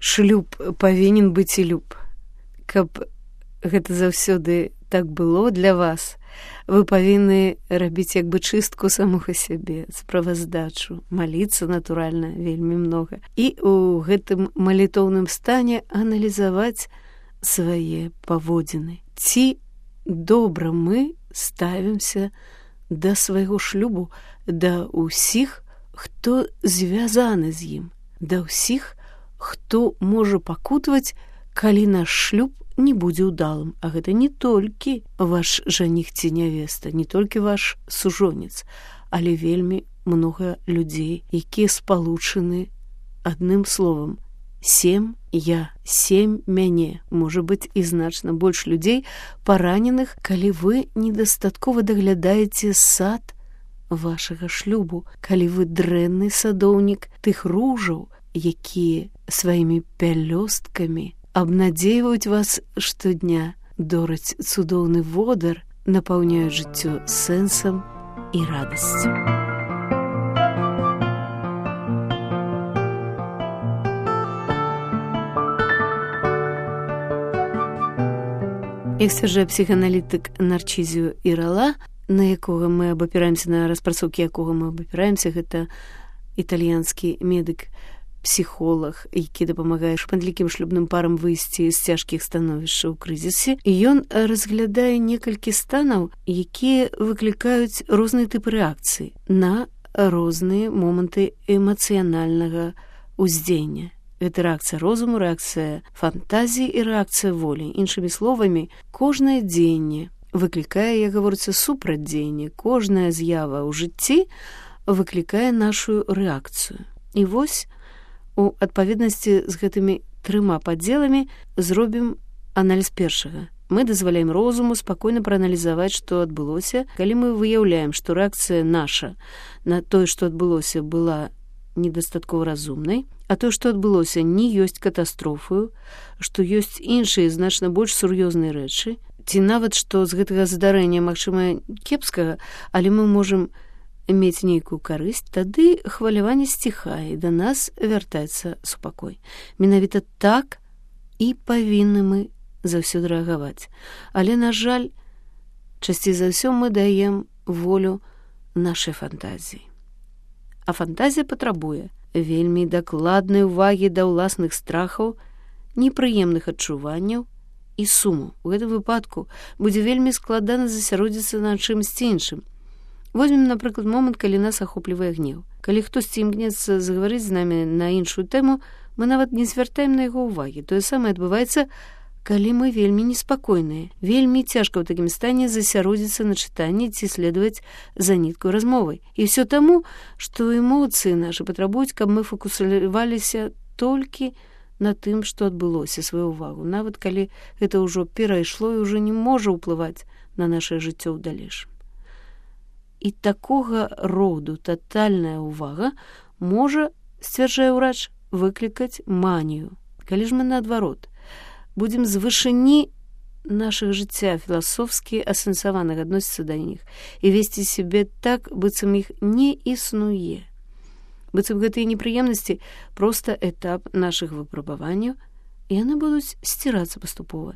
шлюб павінен быць і люб. Каб гэта заўсёды так было для вас, вы павінны рабіць як бы чыстку самога сябе, справаздачу, маліцца, натуральна, вельмі многа. І ў гэтым малітоўным стане аналізаваць свае паводзіны. Ці добра мы ставімся да свайго шлюбу, да ўсіх, хто звязаны з ім, да ўсіх, хто можа пакутаваць, калі наш шлюб не будзе ўдалым. А гэта не толькі ваш жаніх ці нявеста, не толькі ваш сужонец, але вельмі многа людзей, якія спалучаны адным словам: сем-я, сем мяне. Можа быць і значна больш людзей параненых, калі вы недастаткова даглядаеце сад вашага шлюбу, калі вы дрэнны садоўнік тых ружаў, якія сваімі пялёсткамі абнадзейваюць вас штодня, дораць цудоўны водар, напаўняюць жыццё сэнсам і радасцю. Як сцвярджае псіхааналітык Нарчізіо Ірала, на якога мы абапіраемся, на распрацоўкі якога мы абапіраемся, гэта італьянскі медык, псіхолог, які дапамагае шматлікім шлюбным парам выйсці з цяжкіх становішчаў у крызісе. І ён разглядае некалькі станаў, якія выклікаюць розныя тыпы рэакцыі на розныя моманты эмацыянальнага ўздзеяння. Гэта рэакцыя розуму, рэакцыя фантазіі і рэакцыя волі. Іншымі словамі, кожнае дзеянне выклікае, як гаворыцца, супрадзеянне. Кожная з'ява ў жыцці выклікае нашу рэакцыю. І вось, у адпаведнасці з гэтымі трыма падзеламі зробім аналіз першага. Мы дазваляем розуму спакойна прааналізаваць, што адбылося, калі мы выяўляем, што рэакцыя наша на тое, што адбылося, была недастаткова разумнай, а тое, што адбылося, не ёсць катастрофаю, што ёсць іншыя значна больш сур'ёзныя рэчы, ці нават, што з гэтага здарэння, магчыма, кепскага, але мы можам мець нейкую карысць, тады хваляванне сціхае, да нас вяртаецца супакой. Менавіта так і павінны мы заўсёды рэагаваць. Але, на жаль, часцей за ўсё мы даем волю нашай фантазіі. А фантазія патрабуе вельмі дакладнай увагі да ўласных страхаў, непрыемных адчуванняў і суму. У гэтым выпадку будзе вельмі складана засяродзіцца на чымсьці іншым. Возьмем, напрыклад, момант, калі нас ахоплівае гнеў. Калі хтосьці імкнецца загаварыць з намі на іншую тэму, мы нават не звяртаем на яго ўвагі. Тое самае адбываецца, калі мы вельмі неспакойныя. Вельмі цяжка ў такім стане засяродзіцца на чытанні ці следаваць за ніткаю размовай. І ўсё таму, што эмоцыі нашы патрабуюць, каб мы фокусаваліся толькі на тым, што адбылося, сваю ўвагу, нават калі гэта ўжо перайшло і ўжо не можа ўплываць на нашае жыццё ў далейшым. І такога роду татальная ўвага можа, сцвярджае ўрач, выклікаць манію. Калі ж мы наадварот будзем з вышыні нашага жыцця філасофскі асэнсаваных адносіцца да іх і весці сябе так, быццам іх не існуе. Быццам гэтыя непрыемнасці проста этап нашых выпрабаванняў, і яны будуць сцірацца паступова.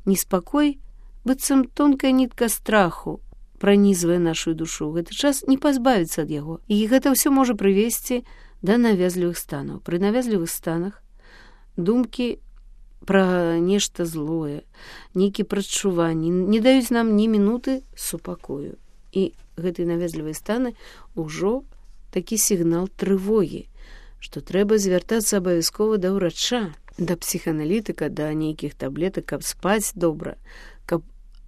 Неспакой, быццам тонкая нітка страху, пранізвае нашу душу. Гэты час не пазбавіцца ад яго. І гэта ўсё можа прывесці да навязлівых станаў. Пры навязлівых станах думкі пра нешта злое, нейкія прадчуванні не даюць нам ні мінуты супакою. І гэтыя навязлівыя станы ўжо такі сігнал трывогі, што трэба звяртацца абавязкова да ўрача, да псіхааналітыка, да нейкіх таблетак, каб спаць добра, каб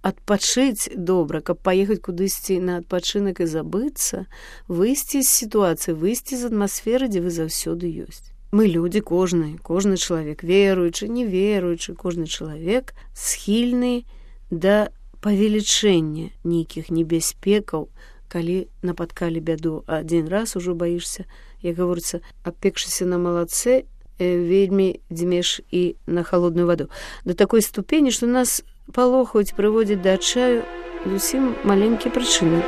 адпачыць добра, каб паехаць кудысьці на адпачынак і забыцца, выйсці з сітуацыі, выйсці з атмасферы, дзе вы заўсёды ёсць. Мы людзі, кожны чалавек, веруючы, неверуючы, кожны чалавек схільны да павелічэння нейкіх небяспекаў, калі напаткалі бяду. Адзін раз ужо баішся, як гаворыцца, апекшыся на малацэ, вельмі дзьмеш і на халодную ваду. Да такой ступені, што нас палохаюць, прыводзяць да адчаю зусім маленькія прычыны.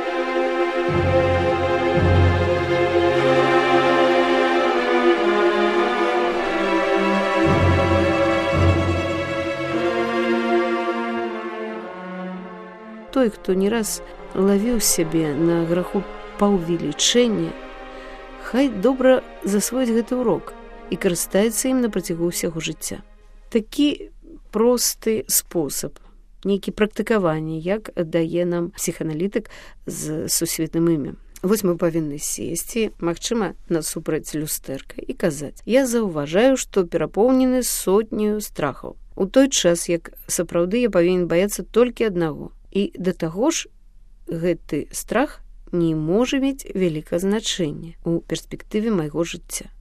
той, хто не раз лавіў сябе на граху паўвелічэння, хай добра засвоіць гэты урок і карыстаецца ім на працягу ўсяго жыцця. Такі просты спосаб, нейкі практыкаванне, як дае нам псіханалітык з сусветным імем. Вось мы павінны сесці, магчыма, насупраць люстэрка і казаць: я заўважаю, што перапоўнены сотню страхаў. У той час, як сапраўды я павінен баяцца толькі аднаго. І да таго ж гэты страх не можа мець вялікае значэнне ў перспектыве майго жыцця.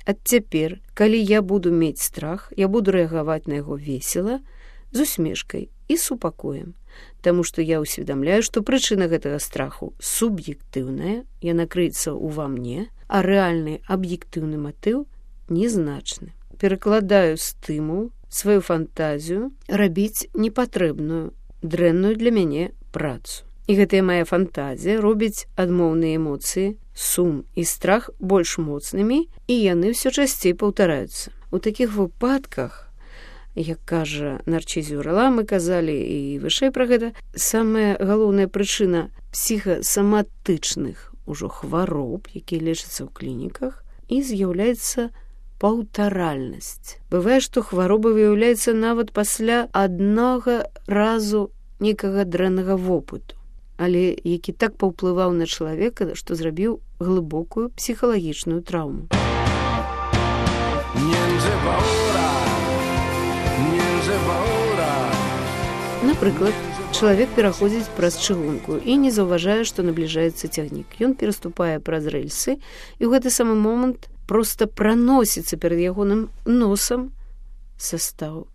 Ад цяпер, калі я буду мець страх, я буду рэагаваць на яго весела, з усмешкай і супакоем, таму што я ўсведамляю, што прычына гэтага страху суб'ектыўная, яна крыецца ўва мне, а рэальны аб'ектыўны матыў незначны. Перакладаю стымул, сваю фантазію рабіць непатрэбную, дрэнную для мяне працу. І гэтая моя фантазія робіць адмоўныя эмоцыі, сум і страх больш моцнымі, і яны ўсё часцей паўтараюцца. У такіх выпадках, як кажа Нарчызіў Ірала, мы казалі і вышэй пра гэта, самая галоўная прычына псіхасаматычных ужо хвароб, якія лечацца ў клініках, і з'яўляецца паўтаральнасць. Бывае, што хвароба выяўляецца нават пасля аднога разу некага дрэннага вопыту, але які так паўплываў на чалавека, што зрабіў глыбокую псіхалагічную траўму. Напрыклад, чалавек пераходзіць праз чыгунку і не заўважае, што набліжаецца цягнік. Ён пераступае праз рэльсы, і ў гэты самы момант проста праносіцца перад ягоным носам састаў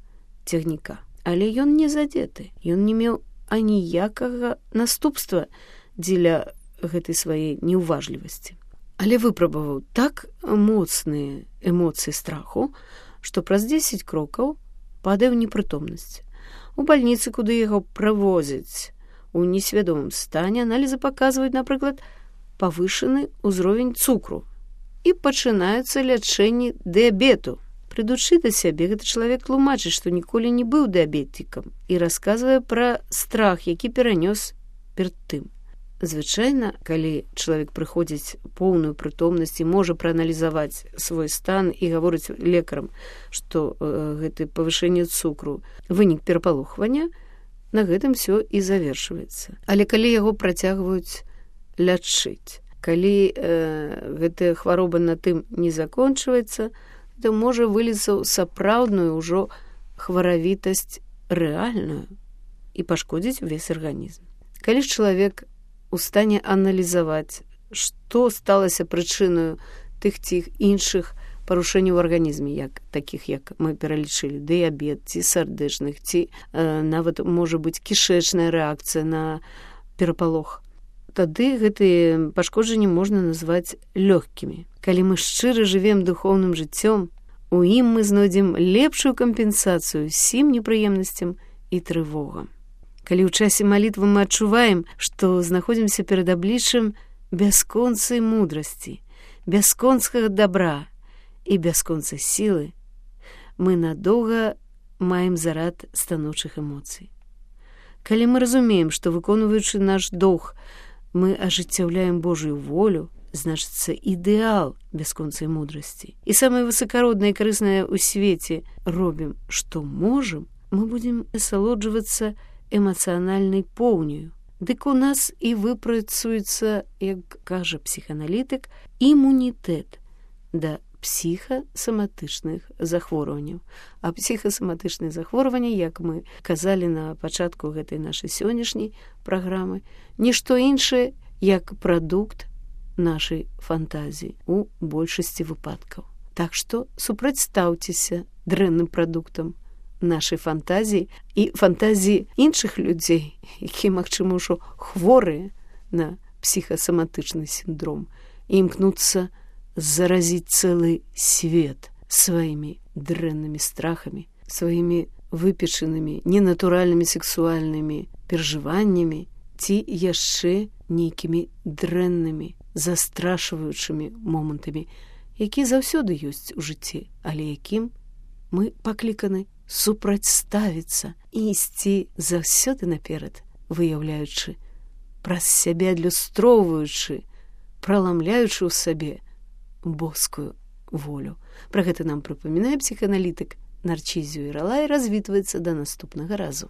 цягніка. Але ён не задзеты, ён не меў аніякага наступства дзеля гэтай сваёй неўважлівасці. Але выпрабаваў так моцныя эмоцыі страху, што праз 10 крокаў падае ў непрытомнасць. У бальніцы, куды яго правозяць у несвядомым стане, аналізы паказваюць, напрыклад, павышаны ўзровень цукру і пачынаюцца лячэнні дыябету. Прыйдучы да сябе, гэты чалавек тлумачыць, што ніколі не быў дыябетікам і расказвае пра страх, які перанёс перад тым. Звычайна, калі чалавек прыходзіць поўную прытомнасць і можа прааналізаваць свой стан і гаворыць лекарам, што гэта павышэнне цукру вынік перапалохвання, на гэтым все і завершваецца. Але калі яго працягваюць лячыць, калі гэтая хвароба на тым не закончваецца, то можа выліцца ў сапраўдную ўжо хваравітасць рэальную і пашкодзіць увесь арганізм. Калі ж чалавек у стане аналізаваць, што сталася прычынаю тых ці іншых парушэнняў у арганізме, такіх, як мы пералічылі, дыябет, ці сардэчных, ці нават можа быць кішэчная рэакцыя на перапалох, тады гэтыя пашкоджанні можна назваць лёгкімі. Калі мы шчыра жывем духоўным жыццём, у ім мы знойдзем лепшую кампенсацыю ўсім непрыемнасцям і трывогам. Калі ў часе малітвы мы адчуваем, што знаходзімся перад абліччам бясконцай мудрасці, бясконцага добра і бясконцай сілы, мы надоўга маем зарад станоўчых эмоцый. Калі мы разумеем, што, выконваючы наш доўг, мы ажыццяўляем Божую волю, значыцца ідэал бясконцай мудрасці. І самае высакароднае і карыснае ў свеце робім, што можам, мы будзем насалоджвацца эмацыянальнай поўняю. Дык у нас і выпрацуецца, як кажа псіханалітык, імунітэт да псіхасаматычных захворванняў. А псіхасаматычныя захворванні, як мы казалі на пачатку гэтай нашай сённяшняй праграмы, нішто іншае, як прадукт нашай фантазіі у большасці выпадкаў. Так што супрацьстаўцеся дрэнным прадуктам нашай фантазіі і фантазіі іншых людзей, якія, магчыма, ўжо хворыя на псіхасаматычны сіндром і імкнуцца заразіць цэлы свет сваімі дрэннымі страхамі, сваімі выпечанымі ненатуральнымі сексуальнымі перажываннямі ці яшчэ нейкімі дрэннымі застрашваючымі момантамі, якія заўсёды ёсць у жыцці, але якім мы пакліканы супрацьставіцца і ісці заўсёды наперад выяўляючы, праз сябе адлюстроўваючы, праламляючы ў сабе боскую волю. Пра гэта нам прыпамінае псіхааналітык Нарчізіо Ірала і развітваецца да наступнага разу.